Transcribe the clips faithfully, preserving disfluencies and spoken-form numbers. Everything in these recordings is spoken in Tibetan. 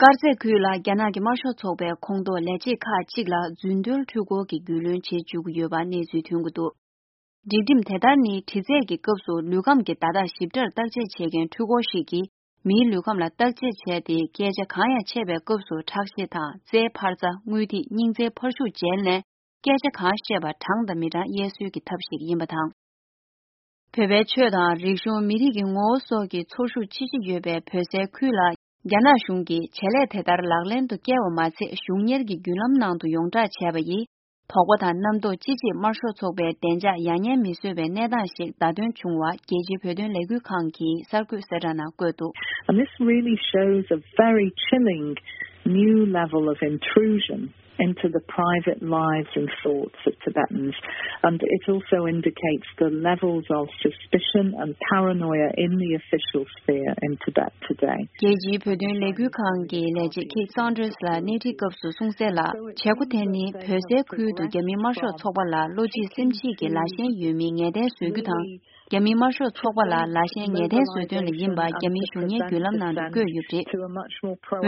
དཀར་མཛེས་ཁུལ་ལ་རྒྱ་ནག་གི་དམར་ཤོག་ཚོགས་པའི་ཁོངས་གཏོགས་ལས་བྱེད་ཁག་ཅིག་ལ་རྫུན་བརྟོལ་འཕྲུལ་འཁོར་གྱི་རྒྱུས་ལོན་བྱེད་བཅུག་གི་ཡོད་པ་གནས་ཚུལ་ཐོན་གྱི་འདུག་སྒྲིག་ཁྲིམས་དེ་ལྟར་ནི་དྲི་རྩད་ཀྱི་སྐབས་སུ་ལུས་ཁམས་ཀྱི་བརྡ་རྟགས་ཞིབ་ཕྲར་བརྟག་དཔྱད་བྱེད་མཁན་འཕྲུལ་འཁོར་ཞིག་གིས་མིའི་ལུས་ཁམས་ལ་བརྟག་དཔྱད་བྱས་ཏེ། སྐད་ཆ་གང་ཡང་འཆད་པའི་སྐབས་སུ་ཁྲག་ཤེད་དང་རྩའི་འཕར་རྩ། རྔུལ་ཐིགས། སྙིང་རྩའི་འཕར་ཤུགས་བརྗེས་ནས། སྐད་ཆ་གང་བཤད་པ་དྲང་དང་མི་དྲང་དབྱེ་སྲོལ་གྱི་ཐབས་ཤིག་ཡིན་པ་དང་། བོད་པའི་ཆོས་དང་རིག་གཞུང་། མི་རིགས་ཀྱི་ངོ་བོ་སོགས་ཀྱི་ཚོར་ཤུགས་ཆེ་ཆེ་ཡོད་པའི་བོད་སའི་ཁུལ་ལ། རྒྱ་ནག་གཞུང་གིས་བྱེད་ལས་དེ་ལྟར་ལག་ལེན་དུ་བསྐྱལ་བ་མ་ཚད། གཞུང་གཉེར་གྱི་བརྒྱུད་ལམ་ནང་དུ་ཡོངས་བསྒྲགས་བྱས་པ་ཡིས། དོགས་པ་དང་རྣམ་རྟོག་ཅི་ཆེ་དམར་ཤོག་ཚོགས་པའི་བདེ་འཇགས་ཡང་སྙན་མི་བཟོ་བའི་གནས་སྟངས་ཤིག་བརྡ་སྟོན་བྱུང་བ། རྒྱལ་སྤྱིའི་བོད་དོན་ལས་འགུལ་ཁང་གི་གསར་འགོད་གསལ་བསྒྲགས་ནང་བཀོད་འདུག And this really shows a very chilling new level of intrusion into the private lives and thoughts of Tibetans, and it also indicates the levels of suspicion and paranoia in the official sphere in Tibet today. རྒྱལ་སྤྱིའི་བོད་དོན་ལས་འགུལ་ཁང་གི་ལས་བྱེད་Kate Saunders་ལ་སྣེ་ཁྲིད་སྐབས་སུ་གསུངས་གསལ་ལ། བྱེད་སྒོ་དེ་ནི་བོད་སའི་ཁུལ་དུ་རྒྱ་མིའི་དམར་ཤོག་ཚོགས་པ་ལ་བློ་འཇིགས་སེམས་སྐྱིད་ཀྱི་ལ་ཞེན་ཡོད་མིན་ངེས་གཏན་བཟོ་རྒྱུ་དང་། རྒྱ་མིའི་དམར་ཤོག་ཚོགས་པ་ལ་ལ་ཞེན་ངེས་གཏན་བཟོ་དོན་ལ་ཡིན་པ་རྒྱ་མིའི་གཞུང་གཉེར་བརྒྱུད་ལམ་ནང་དུ་བཀོད་ཡོད་པ་རེད།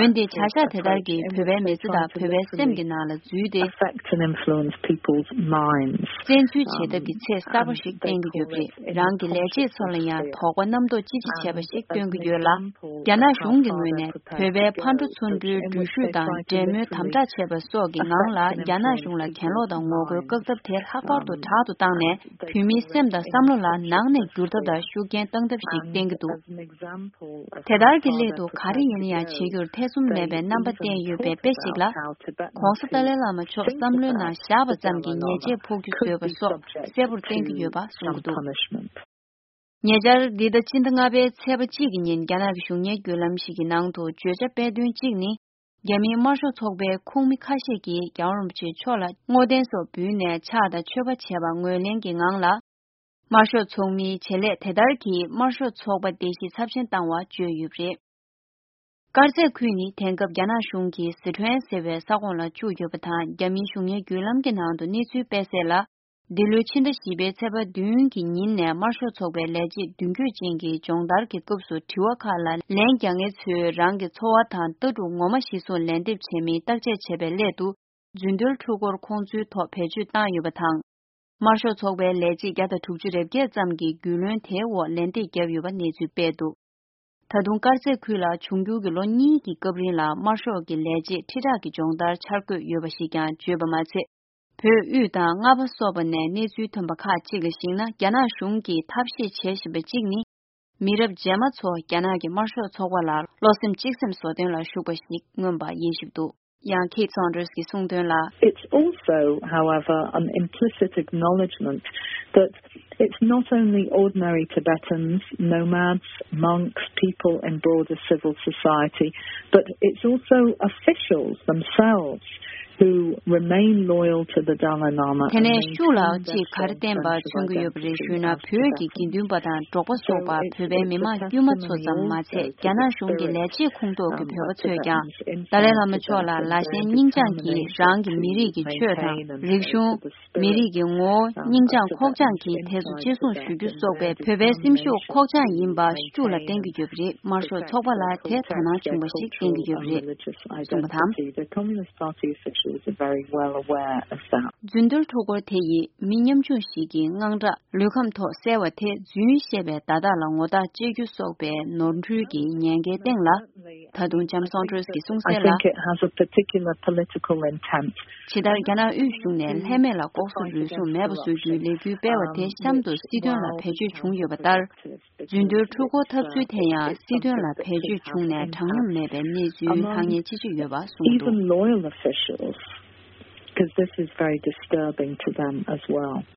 འོན་ཏེ་བྱ་གཞག་དེ་ལྟར་གྱིས་བོད་པའི་མི་ཚེ་དང་བོད་པའི་སེམས་ཀྱི་ནང་ལ་འཛུལ་ཏེ། Affect and influence people's minds. བཙན་འཛུལ་བྱེད་ཐབས་ཀྱི་ཚད་གསར་པ་ཞིག་བསྟན་གྱི་ཡོད་པ་རེད། རང་གི་ལས་བྱེད་ཚོ་ལ་ཡང་དོགས་པ་རྣམ་རྟོག་ཅི་ཆེ་བྱས་པ་ཞིག་སྟོན་གྱི་ཡོད་ལ། རྒྱ་ནག་གཞུང་གི་ངོས་ནས་བོད་པའི་ཕར་འགྲོ་ཚུར་འགྲོའི་འགྲུལ་བཞུད་དང་འབྲེལ་མོལ་དམ་དྲག་བྱས་པ་སོགས་ཀྱི་ངང་ལ། རྒྱ་ནག་གཞུང་ལ་གྱེན་ལོག་དང་ངོ་རྒོལ་བཀག་ཐབས་དེ་ལྷག་པར་དུ་དྲག་ཏུ་བཏང་ནས། བོད་མིའི་སེམས་དང་བསམ་བློ་ལ་ནང་ནས་འགྱུར་ཐབས་དང་ཤུགས་རྐྱེན་བཏང་ཐབས་ཤིག་བསྟན་གྱི་འདུག་དེ་ལྟར་གྱི་སླད་དུ་ག་རེ་ཡིན་ན་ཡང་བྱེད་རྒྱུར་ཐེ་ཚོམ་མེད་པའི་རྣམ་པ་བསྟན་ཡོད་པའི་དཔེ་ཞིག་ལ། ༸གོང་ས་ཏཱ་ལའི་བླ་མ་མཆོག་བསམ་བློའི་ནང་བཞག་པ་ཙམ་གྱིས་ཉེས་ཆད་ཕོག་རྒྱུ་བཟོས་པ་སོགས་གསལ་པོར་བསྟན་གྱི་ཡོད་པ་གསུངས་འདུག་ཉེ་ཆར་འདི་ཟླ་ཕྱི་ཟླ་ལྔ་པའི་ཚེས་པ་གཅིག་གི་ཉིན། རྒྱ་ནག་གི་གཞུང་གཉེར་བརྒྱུད་ལམ་ཞིག་གི་ནང་དུ་བརྗོད་བྱ་སྤེལ་དོན་གཅིག་ནི། རྒྱ་མིའི་དམར་ཤོག་ཚོགས་པའི་ཁོངས་མི་ཁ་ཤས་ཀྱིས་རྒྱལ་བ་རིན་པོ་ཆེ་མཆོག་ལ་བསྔོ་རྟེན་སོགས་འབུལ་ནས་ཕྱག་དང་མཆོད་པ་བྱས་པ་ངོས་ལེན་གྱི་ངང་ལ། དམར་ཤོག་ཚོགས་མིའི་བྱེད་ལས་དེ་ལྟར་གྱིས་དམར་ཤོག་ཚོགས་པ་བརྡལ་བཤིག་ཚབས་ཆེན་བཏང་བ་བརྗོད་ཡོད་པ་རེད། དཀར་མཛེས་ཁུལ་ནི་དེང་སྐབས་རྒྱ་ནག་གཞུང་གིས་སི་ཁྲོན་ཟེར་བའི་ས་ཁོངས་ལ་བཅུག་ཡོད་པ་དང་། རྒྱ་མིའི་གཞུང་གཉེར་བརྒྱུད་ལམ་གྱི་ནང་དུ་གནས་ཚུལ་སྤེལ་གསལ་ལ། འདི་ལོའི་ཕྱི་ཟླ་བཞི་པའི་ཚེས་པ་བདུན་གྱི་ཉིན་ནས་དམར་ཤོག་ཚོགས་པའི་ལས་བྱེད་མདུན་སྐྱོད་ཅན་གྱི་སྦྱོང་བརྡར་གྱི་སྐབས་སུ། དྲི་བ་ཁག་ལ་ལན་རྒྱག་མཁན་ཚོས་རང་གི་ཚོར་བ་དང་ལྟ་གྲུབ་ངོ་མ་གཞིར་བཟུང་ལན་འདེབས་བྱས་མིན་བརྟག་དཔྱད་བྱེད་པའི་སླད་དུ། རྫུན་བརྟོལ་འཕྲུལ་འཁོར་ཁོང་ཚོའི་ཐོག་བེད་སྤྱོད་བཏང་ཡོད་པ་དང་། དམར་ཤོག་ཚོགས་པའི་ལས་བྱེད་བརྒྱ་དང་དྲུག་ཅུ་རེ་བརྒྱད་ཙམ་གྱིས་རྒྱུས་ལོན་དེའི་འོག་ལན་འདེབས་བརྒྱབ་ཡོད་པ་གནས་ཚུལ་སྤེལ་འདུག་ད་དུང་དཀར་མཛེས་ཁུལ་ལ་འབྱུང་འགྱུར་གྱི་ལོ་གཉིས་ཀྱི་སྐབས་རིང་ལ་དམར་ཤོག་གི་ལས་བྱེད་ཁྲི་ཕྲག་གི་སྦྱོང་བརྡར་འཆར་འགོད་ཡོད་པ་ཞིག་ཀྱང་བརྗོད་པ་མ་ཚད། བོད་དབུས་དང་རྔ་པ་སོགས་པ་ནས་གནས་ཚུལ་ཐོན་པ་ཁག་ཅིག་ལ་གཞིགས་ན། རྒྱ་ནག་གཞུང་གིས་ཐབས་ཤེས་བྱེད་བཞིན་པ་གཅིག་ནི། མི་རབས་རྗེས་མ་ཚོ་རྒྱ་ནག་གི་དམར་ཤོག་ཚོགས་པ་ལ་བློ་སེམས་གཅིག་སེམས་བཟོ་སྟོན་ལ་ཞུགས་པ་ཞིག་མངོན་པ་དབྱེ་ཞིབ་འདུག་ཡང་Kate Saunders་གྱིས་གསུངས་དོན་ལ། It's also, however, an implicit acknowledgement that it's not only ordinary Tibetans, nomads, monks, people in broader civil society, but it's also officials themselves who remain loyal to the Dalai Lama དེ་ནས་ཤུགས་ལ་ཅིག་ག་རེ་བསྟན་པ་མཚོན་གྱི་ཡོད་པ་རེད་ཞུས་ན། བོད་ཀྱི་དགེ་འདུན་པ་དང་འབྲོག་པ་སོགས་པ་བོད་པའི་མི་མང་དཀྱུས་མ་ཚོ་ཙམ་མ་ཚད། རྒྱ་ནག་གཞུང་གི་ལས་བྱེད་ཁོངས་གཏོགས་ཀྱི་བོད་པ་ཚོས་ཀྱང་ཏཱ་ལའི་བླ་མ་མཆོག་ལ་ལ་ཞེན་སྙིང་བཅངས་ཀྱིས་རང་གི་མི་རིགས་ཀྱི་ཆོས་དང་རིག་གཞུང་། མི་རིགས་ཀྱི་ངོ་བོ་སྙིང་བཅངས་ཁོག་བཅངས་ཀྱིས་དེ་ཚོ་གཅེས་སྲུང་ཞུ་རྒྱུ་སོགས་པའི་བོད་པའི་སེམས་ཤུགས་ཁོག་བཅངས་ཡིན་པ་ཤུགས་ལ་བསྟན་གྱི་ཡོད་པ་རེད། དམར་ཤོག་ཚོགས་པ་ལ་དེ་དོ་སྣང་བྱུང་བ་ཞིག་བསྟན་གྱི་ཡོད་པ་རེད་གསུངས་པ་དང་། The Communist Party officials are very well aware of that. རྫུན་བརྟོལ་འཕྲུལ་འཁོར་དེ་ཡིས་མི་ཉམ་ཆུང་ཞིག་གི་དངངས་སྐྲག་ལུས་ཁམས་ཐོག་གསལ་བ་དེ། རྫུན་བཤད་པའི་བརྡ་རྟགས་ལ་ངོ་རྟགས་བཅད་རྒྱུ་སོགས་པའི་ནོར་འཁྲུལ་གྱི་ཉེན་ཁའི་སྟེང་ལ། ད་དུང་ལྕམ་སོན་ཊོས་ཀྱིས་གསུངས་གསལ་ལ། I think it has a particular political intent. ཇི་ལྟར་རྒྱ་ནག་དབུས་གཞུང་ནས་ལྷད་མེད་ལ་ལྐོག་ཟ་རུལ་སུངས་མེད་པ་བཟོ་རྒྱུའི་ལས་འགུལ་སྤེལ་བ་དེ་གཤམ་དུ་སྲིད་དོན་ལ་བེད་སྤྱོད་བྱུང་ཡོད་པ་ལྟར། རྫུན་བརྟོལ་འཕྲུལ་འཁོར་འཐབ་རྩོད་དེ་ཡང་སྲིད་དོན་ལ་བེད་སྤྱོད་བྱུང་ནས་དྲང་སྙོམས་མེད་པའི་གནས་ཚུལ་ལྷག་ཉེས་ཅི་ཆེ་ཡོད་པ་གསུངས་འདུག Even loyal officials, because this is very disturbing to them as well.